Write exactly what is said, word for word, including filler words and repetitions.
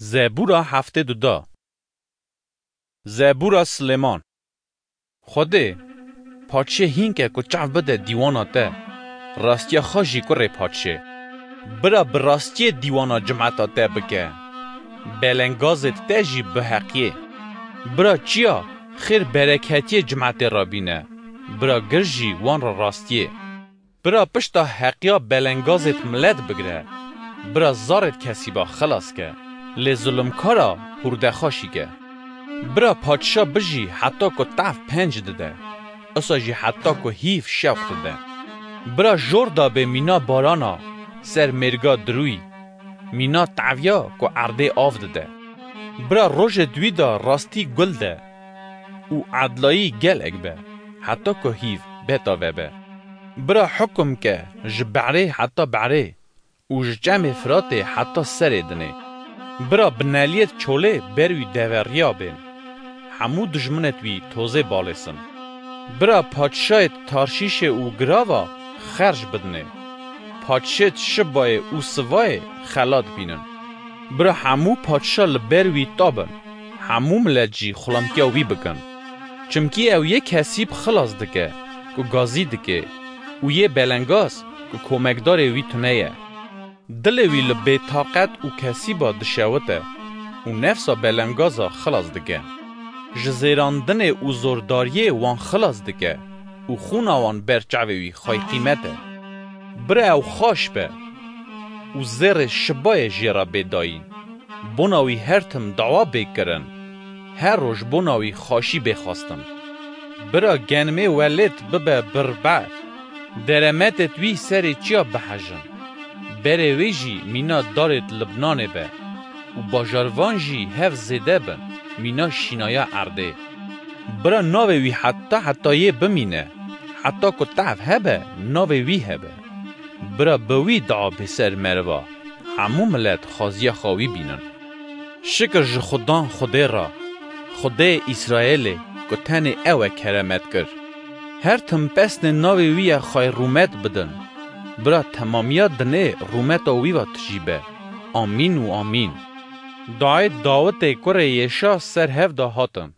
Zebûra heftê du da. Zebûra Silêman. Xwedê, paşê hînke ku çav bide dîwana te, rastiya xwe jî kurê paşê. Bira bi rastiyê dîwana cimeta te bike, belengazêt te jî bi heqiyê. Bira çiya xêr bereketiyê cimetê re bîne, bira gir jî wan re rastiyê. Bira pişta heqiya belengazêt milet bigire, bira zarêt kesîba xilas ke. Lê zulumkara hûrdexaşî ke. Bira padşa bijî heta ku tev penc dide, isa jî heta ku hîv şewq dide. Bira jor da bê mîna barana ser mêrga dirûyî, mîna teviya ku erdê av dide. Bira rojêt wî da rastî gul de û edlayî gelek be, heta ku hîv betave be. Bira hukum ke ji berê heta berê û ji çemê Firatê heta serê dinê. Bira bineliyêt çolê ber wî deveriya bên, hemû dijminêt wî tozê balêsin. Bira padşayêt Tarşîşê û girava xerc bidinê, padşêt Şibayê û Sivayê xelat bînin. Bira hemû padşa li ber wî tabin, hemû milet jî xulamtiya wî bikin. Çimkî ew yê kesîb xilas dike ku gazî dike û yê belengaz ku komekdarê wî tune ye. Dilê wî li bêtaqet û kesîba dişewite û nefsa belengaza xilas dike. Ji zêrandinê û zordariyê wan xilas dike û xûna wan ber çavê wî xwey qîmet e. Bira ew xaş be û zêrê Şibayê jê re bê dayîn. Bona wî her tim dawa bê kirin, her roj bona wî xaşî bê xwestin. Bira genimê welêt bibe birber, deremetêt wî serê çiya bihejin. Berê wê jî mîna darêt Libnanê be û bajarvan jî hev zêde bin, mîna şînaya erdê. Bira navê wî heta hetayê bimîne, heta ku tev hebe navê wî hebe. Bira bi wî dua bê ser meriva, hemû milet xwaziya xwe wî bînin. Şikir ji Xudan Xwedê re, Xwedê Îsraêlê ku tenê ew e keremet kir. Her tim pesnê navê wî ye xwey rûmet bidin. Bira temamiya dinê rûmeta wî ve tijî be. Amîn û amîn. Duayê Dawitê kurê Yêşa ser hev de hatin.